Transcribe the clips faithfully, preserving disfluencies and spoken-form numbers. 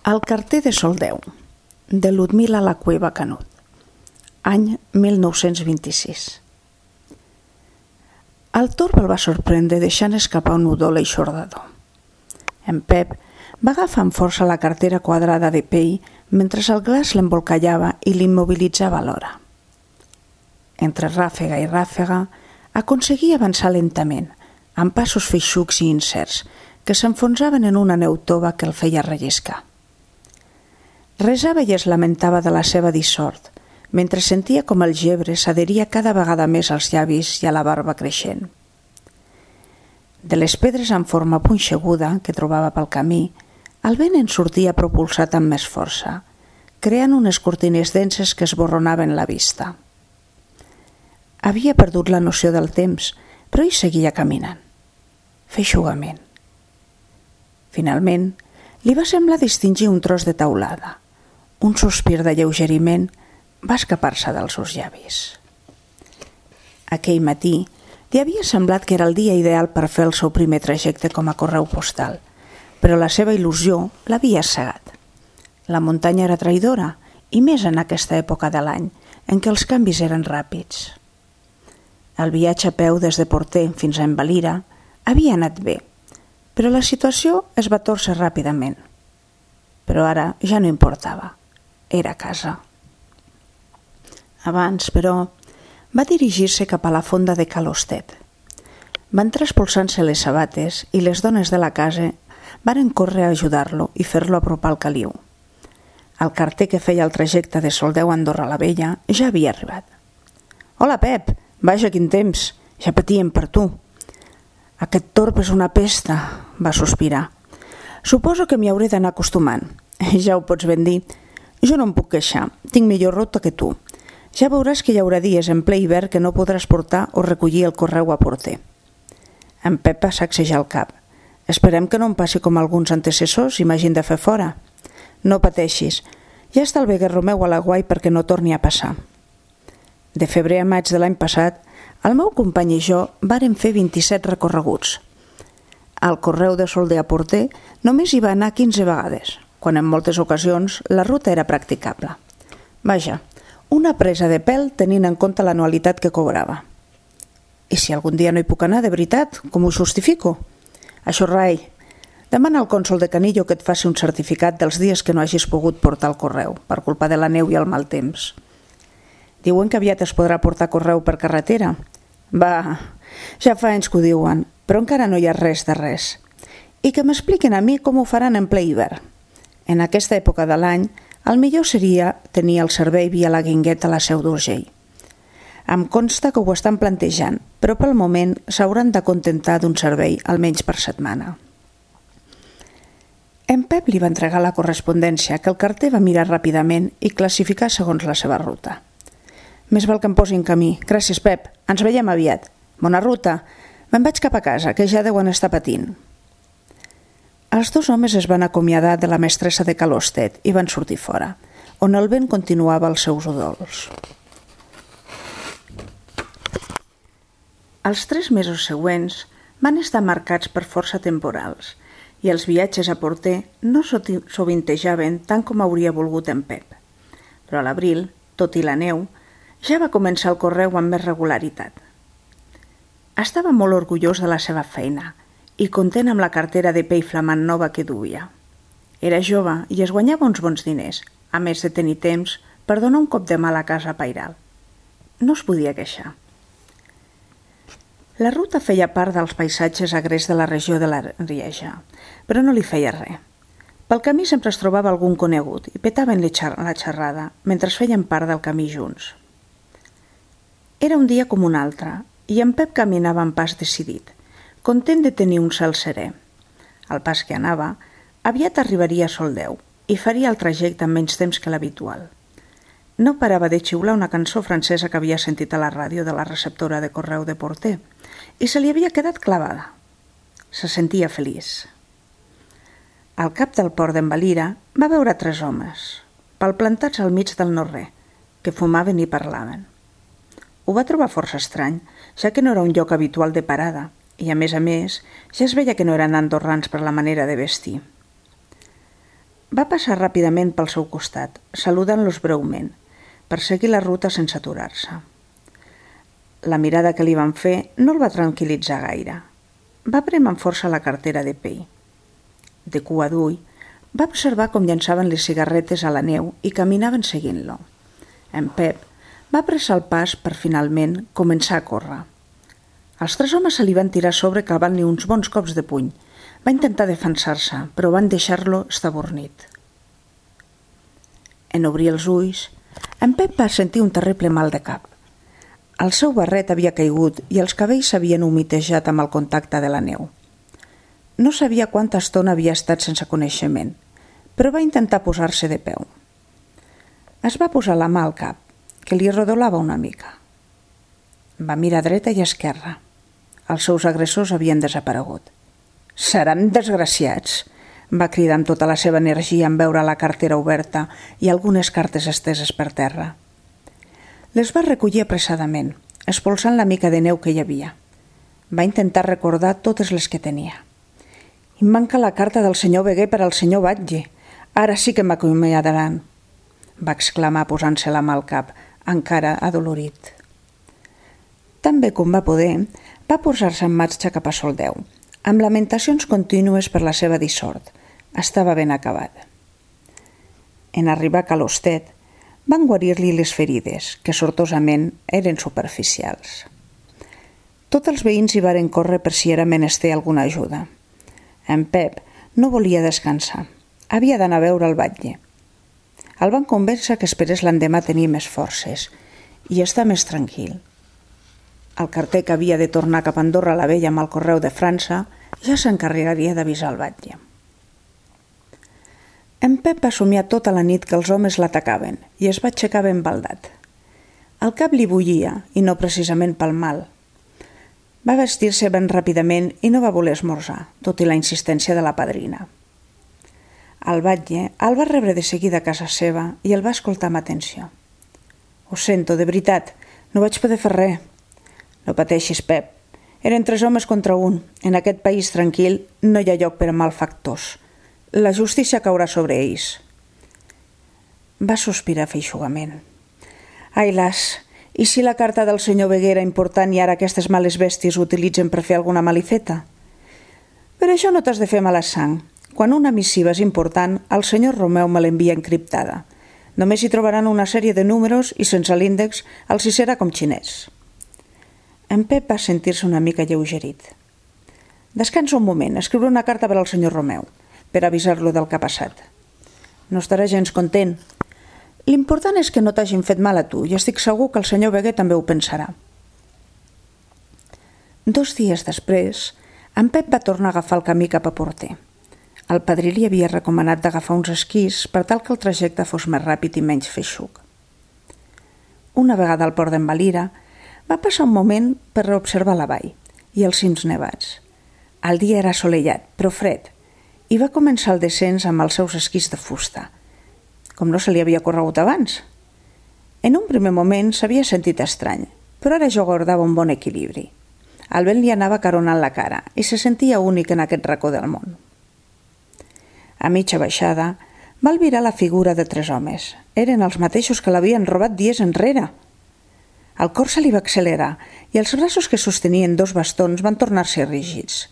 El carter de Soldeu, de Ludmila La Cueva Canut, any mil nou-cents vint-i-sis. El torb el va sorprendre deixant escapar un udol eixordador. En Pep va agafar amb força la cartera quadrada de pell mentre el glaç l'embolcallava i l'immobilitzava alhora. Entre ràfega i ràfega aconseguia avançar lentament, amb passos feixucs i incerts, que s'enfonsaven en una neu tova que el feia relliscar. Resava i es lamentava de la seva dissort, mentre sentia com el gebre s'adheria cada vegada més als llavis i a la barba creixent. De les pedres en forma punxeguda que trobava pel camí, el vent en sortia propulsat amb més força, creant unes cortines denses que esborronaven la vista. Havia perdut la noció del temps, però hi seguia caminant, feixugament. Finalment, li va semblar distingir un tros de teulada. Un sospir de lleugeriment va escapar-se dels seus llavis. Aquell matí li havia semblat que era el dia ideal per fer el seu primer trajecte com a correu postal, però la seva il·lusió l'havia cegat. La muntanya era traïdora, i més en aquesta època de l'any, en què els canvis eren ràpids. El viatge a peu des de Porter fins a Envalira havia anat bé, però la situació es va tòrcer ràpidament. Però ara ja no importava. Era a casa. Abans, però, va dirigir-se cap a la fonda de Calostet. Van traspolsant-se les sabates i les dones de la casa varen córrer a ajudar-lo i fer-lo apropar al caliu. El carter que feia el trajecte de Soldeu a Andorra la Vella ja havia arribat. «Hola, Pep! Vaja, quin temps! Ja patíem per tu!» «Aquest torb és una pesta», va sospirar. «Suposo que m'hi hauré d'anar acostumant. Ja ho pots ben dir. Jo no em puc queixar. Tinc millor ruta que tu. Ja veuràs que hi haurà dies en ple hivern que no podràs portar o recollir el correu a Porter». En Pep va sacsejar el cap. «Esperem que no em passi com alguns antecessors i m'hagin de fer fora. No pateixis. Ja està el veguer meu a l'aguai perquè no torni a passar». De febrer a maig de l'any passat, el meu company i jo vàrem fer vint-i-set recorreguts. Al correu de Soldeu a Porter només hi va anar quinze vegades, quan en moltes ocasions la ruta era practicable. Vaja, una presa de pèl tenint en compte l'anualitat que cobrava. I si algun dia no hi puc anar de veritat, com ho justifico? Això rai, demana al cònsol de Canillo que et faci un certificat dels dies que no hagis pogut portar el correu, per culpa de la neu i el mal temps. Diuen que aviat es podrà portar correu per carretera. Va, ja fa anys que ho diuen, però encara no hi ha res de res. I que m'expliquin a mi com ho faran en ple hivern. En aquesta època de l'any, el millor seria tenir el servei via la Guingueta a la Seu d'Urgell. Em consta que ho estan plantejant, però pel moment s'hauran de contentar d'un servei almenys per setmana. En Pep li va entregar la correspondència que el carter va mirar ràpidament i classificar segons la seva ruta. «Més val que em posi en camí. Gràcies, Pep. Ens veiem aviat. Bona ruta. Me'n vaig cap a casa, que ja deuen estar patint». Els dos homes es van acomiadar de la mestressa de Calostet i van sortir fora, on el vent continuava els seus udols. Els tres mesos següents van estar marcats per força temporals i els viatges a Porter no sovintejaven tant com hauria volgut en Pep. Però a l'abril, tot i la neu, ja va començar el correu amb més regularitat. Estava molt orgullós de la seva feina i content amb la cartera de pell flamant nova que duia. Era jove i es guanyava uns bons diners, a més de tenir temps per donar un cop de mà a la casa pairal. No es podia queixar. La ruta feia part dels paisatges agrers de la regió de l'Arieja, però no li feia res. Pel camí sempre es trobava algun conegut i petaven la xerrada mentre feien part del camí junts. Era un dia com un altre i en Pep caminava amb pas decidit, content de tenir un cel serè. Al pas que anava, aviat arribaria a Soldeu i faria el trajecte amb menys temps que l'habitual. No parava de xiular una cançó francesa que havia sentit a la ràdio de la receptora de correu de Porter i se li havia quedat clavada. Se sentia feliç. Al cap del port d'Envalira va veure tres homes, palplantats al mig del no-res, que fumaven i parlaven. Ho va trobar força estrany, ja que no era un lloc habitual de parada, i a més a més ja es veia que no eren andorrans per la manera de vestir. Va passar ràpidament pel seu costat, saludant-los breument, per seguir la ruta sense aturar-se. La mirada que li van fer no el va tranquil·litzar gaire. Va prémer amb força la cartera de pell. De cua d'ull, va observar com llançaven les cigarretes a la neu i caminaven seguint-lo. En Pep va apressar el pas per finalment començar a córrer. Els tres homes se li van tirar a sobre clavant-li uns bons cops de puny. Va intentar defensar-se, però van deixar-lo estabornit. En obrir els ulls, en Pep va sentir un terrible mal de cap. El seu barret havia caigut i els cabells s'havien humitejat amb el contacte de la neu. No sabia quanta estona havia estat sense coneixement, però va intentar posar-se de peu. Es va posar la mà al cap, que li rodolava una mica. Va mirar dreta i esquerra. Els seus agressors havien desaparegut. «Seran desgraciats!», va cridar amb tota la seva energia en veure la cartera oberta i algunes cartes esteses per terra. Les va recollir apressadament, expulsant la mica de neu que hi havia. Va intentar recordar totes les que tenia. «Em manca la carta del senyor Beguer per al senyor Batlle. Ara sí que m'acomiadaran», va exclamar posant-se la mà al cap, encara adolorit. Tan bé com va poder, va posar-se en marxa cap a Soldeu, amb lamentacions contínues per la seva dissort. Estava ben acabat. En arribar a Calostet, van guarir-li les ferides, que sortosament eren superficials. Tots els veïns hi varen córrer per si era menester alguna ajuda. En Pep no volia descansar. Havia d'anar a veure el batlle. El van convèncer que esperés l'endemà tenir més forces i estar més tranquil. El carter que havia de tornar cap a Andorra la Vella amb el correu de França ja s'encarregaria d'avisar el batlle. En Pep va somiar tota la nit que els homes l'atacaven i es va aixecar ben baldat. El cap li bullia, i no precisament pel mal. Va vestir-se ben ràpidament i no va voler esmorzar, tot i la insistència de la padrina. El batlle el va rebre de seguida a casa seva i el va escoltar amb atenció. «Ho sento, de veritat, no vaig poder fer res». «No pateixis, Pep. Eren tres homes contra un. En aquest país tranquil no hi ha lloc per a malfactors. La justícia caurà sobre ells». Va sospirar feixugament. «Ai, las, i si la carta del senyor Beguer era important i ara aquestes males bèsties ho utilitzen per fer alguna malifeta? Per això no t'has de fer mala sang. Quan una missiva és important, el senyor Romeu me l'envia encriptada. Només hi trobaran una sèrie de números i sense l'índex els hi serà com xinès». En Pep va sentir-se una mica lleugerit. «Descansa un moment, escriure una carta per al senyor Romeu, per avisar-lo del que ha passat. No estarà gens content. L'important és que no t'hagin fet mal a tu i estic segur que el senyor Beguer també ho pensarà». Dos dies després, en Pep va tornar a agafar el camí cap a Porter. El padrí li havia recomanat d'agafar uns esquís per tal que el trajecte fos més ràpid i menys feixuc. Una vegada al port d'en Valira, va passar un moment per observar la vall i els cims nevats. El dia era assolellat, però fred, i va començar el descens amb els seus esquís de fusta, com no se li havia corregut abans. En un primer moment s'havia sentit estrany, però ara ja guardava un bon equilibri. El vent li anava caronant la cara i se sentia únic en aquest racó del món. A mitja baixada, va albirar la figura de tres homes. Eren els mateixos que l'havien robat dies enrere. El cor se li va accelerar i els braços que sostenien dos bastons van tornar-se rígids.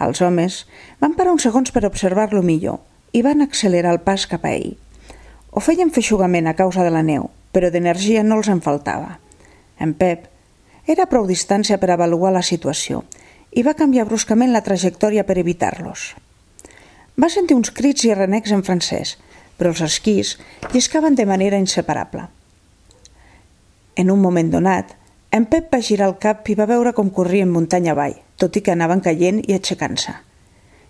Els homes van parar uns segons per observar-lo millor i van accelerar el pas cap a ell. Ho feien feixugament a causa de la neu, però d'energia no els en faltava. En Pep era a prou distància per avaluar la situació i va canviar bruscament la trajectòria per evitar-los. Va sentir uns crits i renecs en francès, però els esquís lliscaven de manera inseparable. En un moment donat, en Pep va girar el cap i va veure com corrien muntanya avall, tot i que anaven caient i aixecant-se.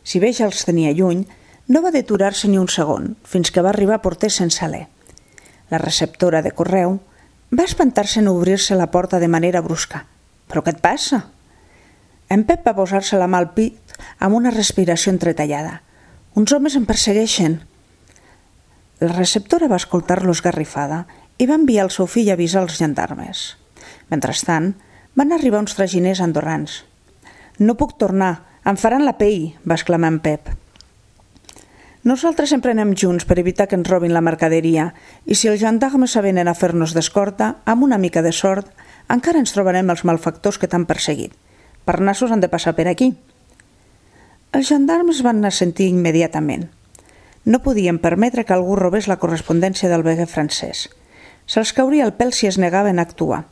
Si bé ja els tenia lluny, no va deturar-se ni un segon, fins que va arribar a Porter sense alè. La receptora de correu va espantar-se en obrir-se la porta de manera brusca. «Però què et passa?» En Pep va posar-se la mà al pit amb una respiració entretallada. «Uns homes em persegueixen». La receptora va escoltar-lo esgarrifada i va enviar el seu fill a avisar els gendarmes. Mentrestant, van arribar uns traginers andorrans. «No puc tornar, em faran la pell», va exclamar en Pep. Nosaltres sempre anem junts per evitar que ens robin la mercaderia i si els gendarmes s'avenen a fer-nos d'escorta, amb una mica de sort, encara ens trobarem els malfactors que t'han perseguit. Per nassos han de passar per aquí. Els gendarmes van assentir immediatament. No podien permetre que algú robés la correspondència del veguer francès. Se'ls cauria el pèl si es negaven a actuar.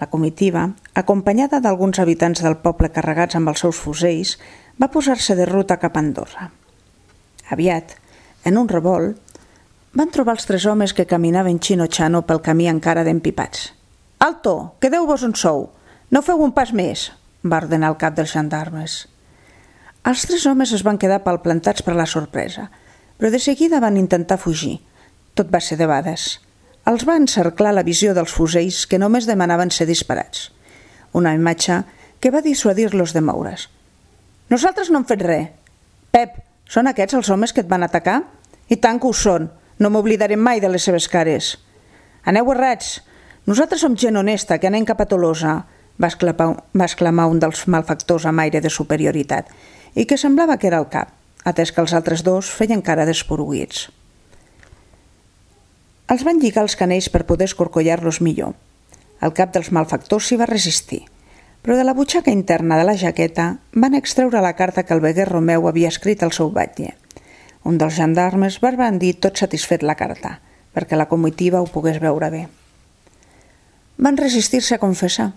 La comitiva, acompanyada d'alguns habitants del poble carregats amb els seus fusells, va posar-se de ruta cap a Andorra. Aviat, en un revolt, van trobar els tres homes que caminaven xino-xano pel camí encara d'empipats. «Alto! Quedeu-vos on sou! No feu un pas més!» va ordenar el cap dels gendarmes. Els tres homes es van quedar palplantats per la sorpresa, però de seguida van intentar fugir. Tot va ser debades. Els va encerclar la visió dels fusells que només demanaven ser disparats. Una imatge que va dissuadir-los de moure's. «Nosaltres no hem fet res. Pep, són aquests els homes que et van atacar? I tant que ho són. No m'oblidarem mai de les seves cares. Aneu errats. Nosaltres som gent honesta que anem cap a Tolosa», va exclamar, va exclamar un dels malfactors amb aire de superioritat i que semblava que era el cap, atès que els altres dos feien cara d'esporuguits. Els van lligar els canells per poder escorcollar-los millor. El cap dels malfactors s'hi va resistir, però de la butxaca interna de la jaqueta van extreure la carta que el veguer Romeu havia escrit al seu batlle. Un dels gendarmes va bandir tot satisfet la carta, perquè la comitiva ho pogués veure bé. Van resistir-se a confessar,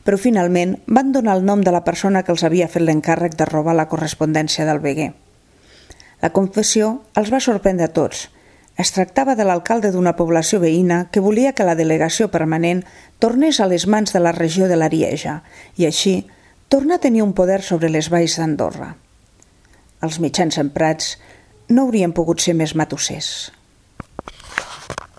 però finalment van donar el nom de la persona que els havia fet l'encàrrec de robar la correspondència del veguer. La confessió els va sorprendre a tots. Es tractava de l'alcalde d'una població veïna que volia que la delegació permanent tornés a les mans de la regió de l'Arieja i així tornar a tenir un poder sobre les valls d'Andorra. Els mitjans emprats no haurien pogut ser més matossers.